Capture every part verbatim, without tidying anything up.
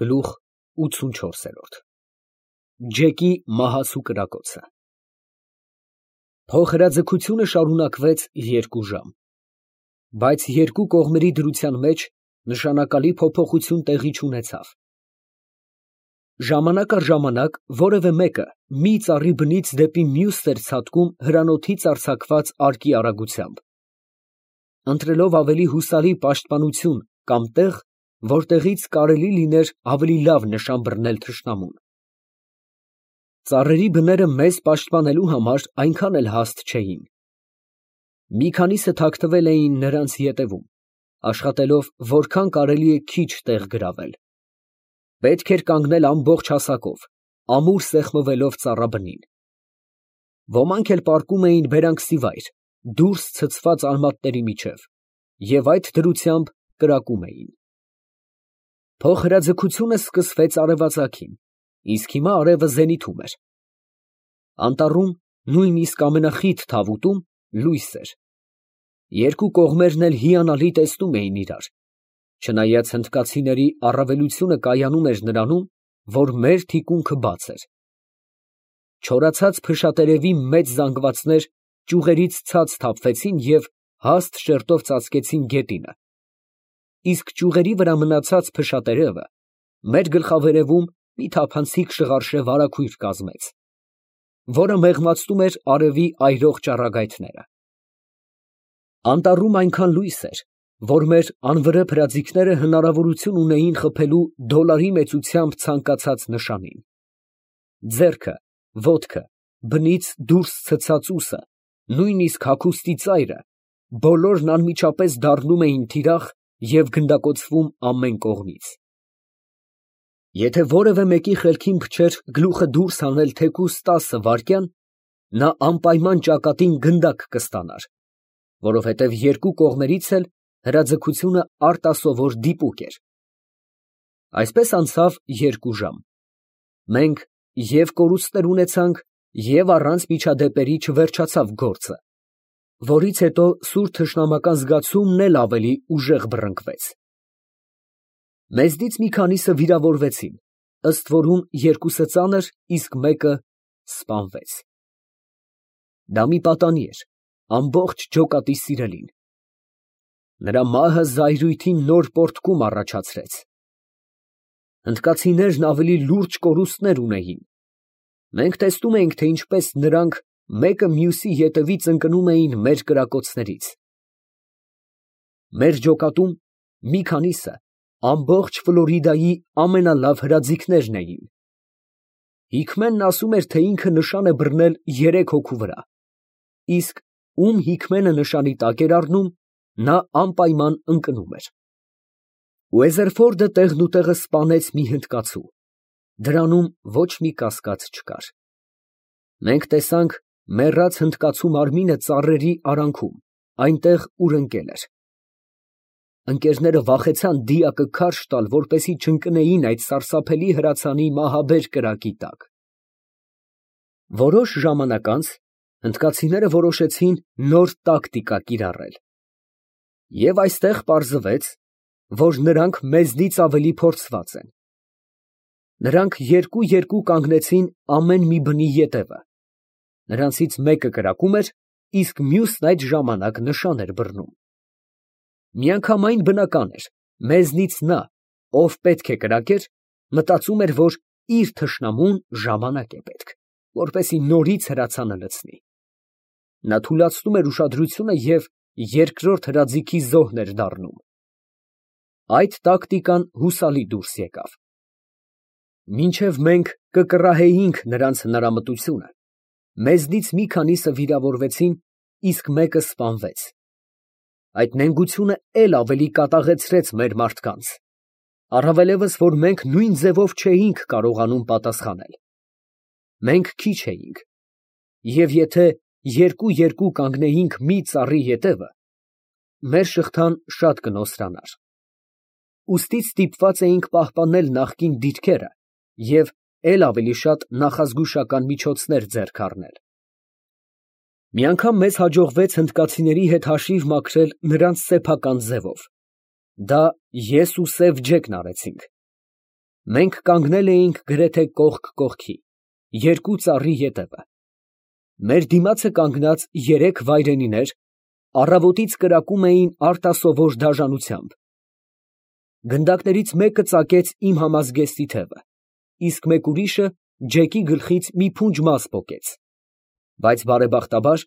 Գլուխ ութսունչորս։ Ջեկի մահացու կրակոցը։ Փոխհրաձգությունը շարունակվեց երկու ժամ, բայց երկու կողմերի դրության մեջ նշանակալի փոփոխություն տեղի չունեցավ։ Ժամանակ առ ժամանակ որևէ մեկը մի ծառի բնից դեպի մյուսն էր ցատկում հրանոթից արձակված արկի արագությամբ, ընտրելով ավելի հուսալի պաշտպանություն կամ տեղ, որտեղից կարելի լիներ ավելի լավ նշան բռնել թշնամուն։ Ծառերի բները մեզ պաշտպանելու համար այնքան էլ հաստ չէին։ Մի քանիսը թաքնվել էին նրանց ետևում, աշխատելով որքան կարելի է քիչ տեղ գրավել։ Պետք էր կանգնել ամբողջ հասակով, ամուր սեղմվելով ծառաբնին։ Ոմանք էլ պառկում էին բերանքսի վայր, դուրս ցցված արմատների միջև, և այդ դրությամբ կրակում էին։ Փոխհրաձգությունը սկսվեց արևածագին, իսկ հիմա արևը զենիթում էր։ Անտառում, նույնիսկ ամենախիտ թավուտում, լույս էր։ Երկու կողմերն էլ հիանալի տեսնում էին իրար, չնայած հնդկացիների առավելությունը կայանում էր նրանում, որ մեր թիկունքը բաց էր։ Չորացած փշատերևի մեծ զանգվածներ ճյուղերից ցած թափվեցին և հաստ շերտով ծածկեցին գետինը, իսկ ճյուղերի վրա մնացած փշատերևը մեր գլխավերևում մի թափանցիկ շղարշե վարագույր կազմեց, որը մեղմացնում էր արևի այրող ճառագայթները։ Անտառում այնքան լույս էր, որ մեր անվրեպ հրաձիգները հնարավորություն ունեին խփելու դոլարի մեծությամբ ցանկացած նշանին։ Ձեռքը, ոտքը, բնից դուրս ցցած ուսը, նույնիսկ հագուստի ծայրը, բոլորն անմիջապես դառնում էին թիրախ և գնդակոծվում ամեն կողմից։ Եթե որևէ մեկի խելքին փչեր գլուխը դուրս հանել թեկուզ տասը վայրկյան, նա անպայման ճակատին գնդակ կստանար, որովհետև երկու կողմերից էլ հրաձգությունը արտասովոր դիպուկ էր։ Այսպես անցավ երկու ժամ։ Մենք և կորուստներ ունեցանք, և առանց միջադեպերի չվերջացավ գործը, որից հետո սուր թշնամական զգացումն էլ ավելի ուժեղ բռնկվեց։ Մեզնից մի քանիսը վիրավորվեցին, ըստ որում երկուսը ծանր, իսկ մեկը սպանվեց։ Դա մի պատանի էր, ամբողջ ջոկատի սիրելին։ Նրա մահը զայրույթին նոր պոռթկում առաջացրեց։ Հնդկացիներն ավելի լուրջ կորուստներ ունեին։ Մենք տեսնում էինք, թե ինչպես նրանք մեկը մյուսի ետևից ընկնում էին մեր կրակոցներից։ Մեր ջոկատում մի քանիսը ամբողջ Ֆլորիդայի ամենալավ հրաձիգներն էին։ Հիկմենն ասում էր, թե ինքը նշան է բռնել երեք հոգու վրա, իսկ ում Հիկմենը նշանի տակ էր առնում, նա անպայման ընկնում էր։ Ուեզերֆորդը տեղնուտեղը սպանեց մի հնդկացու, դրանում ոչ մի կասկած չկար։ Մենք տեսանք մեռած հնդկացու մարմինը ծառերի արանքում, այնտեղ, ուր ընկել էր։ Ընկերները վախեցան դիակը քարշ տալ, որպեսզի չընկնեին այդ սարսափելի հրացանի մահաբեր կրակի տակ։ Որոշ ժամանակ անց հնդկացիները որոշեցին նոր տակտիկա կիրառել։ Եվ այստեղ պարզվեց, որ նրանք մեզնից ավելի փորձված են։ Նրանք երկու֊երկու կանգնեցին ամեն մի բնի ետևը։ Նրանցից մեկը կրակում էր, իսկ մյուսն այդ ժամանակ նշան էր բռնում։ Միանգամայն բնական էր, մեզնից նա, ով պետք է կրակեր, մտածում էր, որ իր թշնամուն ժամանակ է պետք, որպեսզի նորից հրացանը լցնի։ Նա թուլացնում էր ուշադրությունը և երկրորդ հրաձիգի զոհն էր դառնում։ Այդ տակտիկան հուսալի դուրս եկավ։ Մինչև մենք կկռահեինք նրանց հնարամտությունը, մեզնից մի քանիսը վիրավորվեցին, իսկ մեկը սպանվեց։ Այդ նենգությունը էլ ավելի կատաղեցրեց մեր մարդկանց, առավելևս, որ մենք նույն ձևով չէինք կարողանում պատասխանել։ Մենք քիչ էինք, և եթե երկու֊երկու կանգնեինք մի ծառի ետևը, մեր շղթան շատ կնոսրանար։ Ուստի ստիպված էինք պահպանել նախկին դիրքերը և էլ ավելի շատ նախազգուշական միջոցներ ձեռք առնել։ Մի անգամ մեզ հաջողվեց հնդկացիների հետ հաշիվ մաքրել նրանց սեփական ձևով։ Դա ես ու Սև Ջեկն արեցինք։ Մենք կանգնել էինք գրեթե կողք կողքի, երկու ծառի ետևը. մեր դիմացը կանգնած երեք վայրենիներ առավոտից կրակում էին արտասովոր դաժանությամբ. գնդակներից մեկը ծակեց իմ համազգեստի թևը, իսկ մեկ ուրիշը Ջեկի գլխից մի փունջ մաս պոկեց, բայց բարեբախտաբար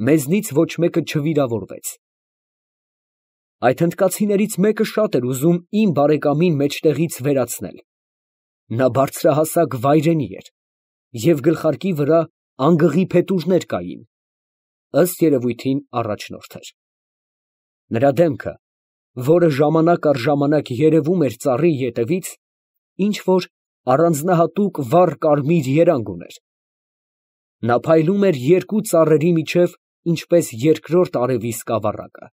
մեզնից ոչ մեկը չվիրավորվեց։ Այդ հնդկացիներից մեկը շատ էր ուզում իմ բարեկամին մեջտեղից վերացնել. նա բարձրահասակ վայրենի էր և գլխարկի վրա անգղի փետուրներ կային, ըստ երևույթին առաջնորդ էր։ Նրա դեմքը, որը ժամանակ առ ժամանակ երևում էր ծառի ետևից, ինչ որ առանձնահատուկ վառ կարմիր երանգ ուներ։ Նա փայլում էր երկու ծառերի միջև, ինչպես երկրորդ արևի սկավառակը։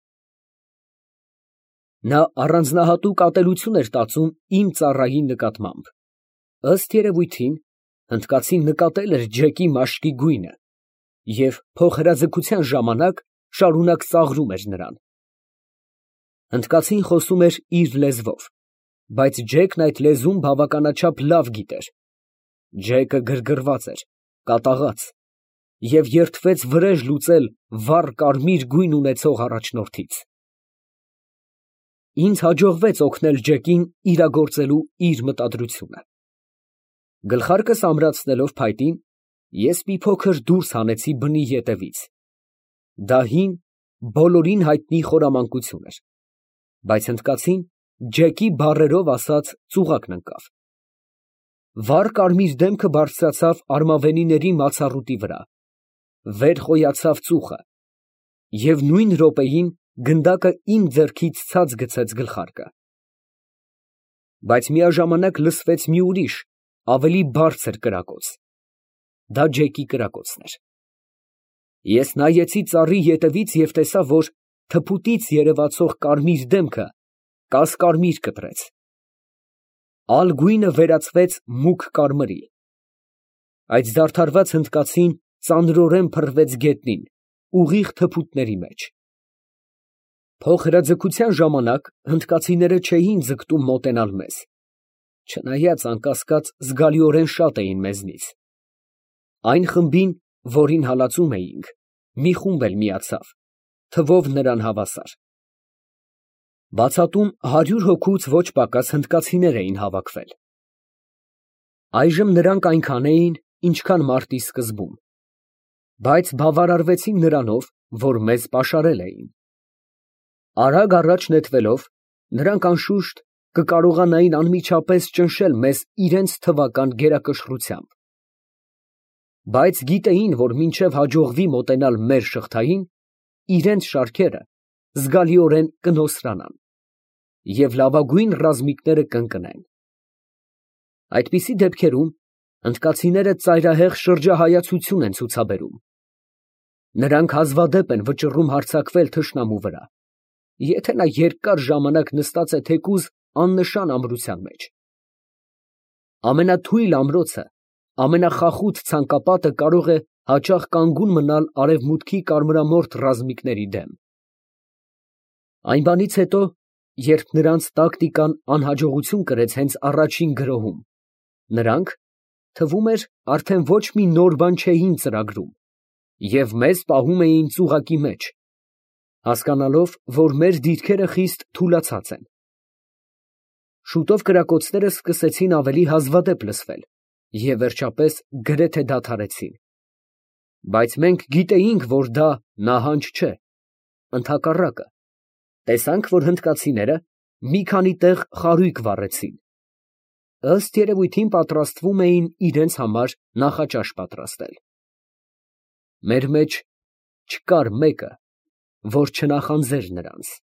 Նա առանձնահատուկ ատելություն էր տածում իմ ծառայի նկատմամբ, ըստ երևույթին, հնդկացին նկատել էր Ջեկի մաշկի գույնը և փոխհրաձգության ժամանակ շարունակ ծաղրում էր նրան։ Հնդկացին խոսում էր իր լեզվով, բայց Ջեկն այդ լեզուն բավականաչափ լավ գիտեր։ Ջեկը գրգռված էր, կատաղած և երդվեց վրեժ լուծել վառ կարմիր գույն ունեցող առաջնորդից։ Ինձ հաջողվեց օգնել Ջեկին իրագործելու իր մտադրությունը։ Գլխարկս ամրացնելով փայտին, ես մի փոքր դուրս հանեցի բնի ետևից. դա հին, բոլորին հայտնի խորամանկություն էր, բայց հնդկացին Ջեկի բառերով ասած ծուղակն ընկավ։ Վառ կարմիր դեմքը բարձրացավ արմավենիների մացառուտի վրա, վեր խոյացավ ծուխը, և նույն րոպեին գնդակը իմ ձեռքից ցած գցեց գլխարկը։ Բայց միաժամանակ լսվեց մի ուրիշ, ավելի բարձր կրակոց. դա Ջեկի կրակոցն էր։ Ես նայեցի ծառի ետևից և տեսա, որ թփուտից երևացող կարմիր դեմքը կասկարմիր կտրեց։ Ալ գույնը վերածվեց մուգ կարմրի։ Այդ զարդարված հնդկացին ծանրորեն փռվեց գետնին, ուղիղ թփուտների մեջ։ Փոխհրաձգության ժամանակ հնդկացիները չէին ձգտում մոտենալ մեզ, չնայած անկասկած զգալիորեն շատ էին մեզնից։ Այն խմբին, որին հալածում էինք, մի խումբ էլ միացավ, թվով նրան հավասար։ Բացատում հարյուր հոգուց ոչ պակաս հնդկացիներ էին հավաքվել։ Այժմ նրանք այնքան էին, ինչքան մարտի սկզբում, բայց բավարարվեցին նրանով, որ մեզ պաշարել էին։ Արագ առաջ նետվելով, նրանք անշուշտ կկարողանային անմիջապես ճնշել մեզ իրենց թվական գերակշռությամբ։ Բայց գիտեին, որ մինչև հաջողվի մոտենալ մեր շղթային, իրենց շարքերը զգալիորեն կնոսրանան և լավագույն ռազմիկները կընկնեն։ Այդպիսի դեպքերում հնդկացիները ծայրահեղ շրջահայացություն են ցուցաբերում։ Նրանք հազվադեպ են վճռում հարձակվել թշնամու վրա, եթե նա երկար ժամանակ նստած է թեկուզ աննշան ամրության մեջ։ Ամենաթույլ ամրոցը, ամենախախուտ ցանկապատը կարող է հաճախ կանգուն մնալ արևմուտքի կարմրամորթ ռազմիկների դեմ։ Այն բանից հետո, երբ նրանց տակտիկան անհաջողություն կրեց հենց առաջին գրոհում, նրանք, թվում էր, արդեն ոչ մի նոր բան չէին ծրագրում և մեզ պահում էին ծուղակի մեջ, հասկանալով, որ մեր դիրքերը խիստ թուլացած են։ Շուտով կրակոցները սկսեցին ավելի հազվադեպ լսվել և վերջապես գրեթե դադարեցին։ Բայց մենք գիտեինք, որ դա նահանջ չէ, ընդհակառակը, տեսանք, որ հնդկացիները մի քանի տեղ խարույկ վառեցին, ըստ երևույթին պատրաստվում էին իրենց համար նախաճաշ պատրաստել։ Մեր մեջ չկար մեկը, որ չնախանձեր նրանց։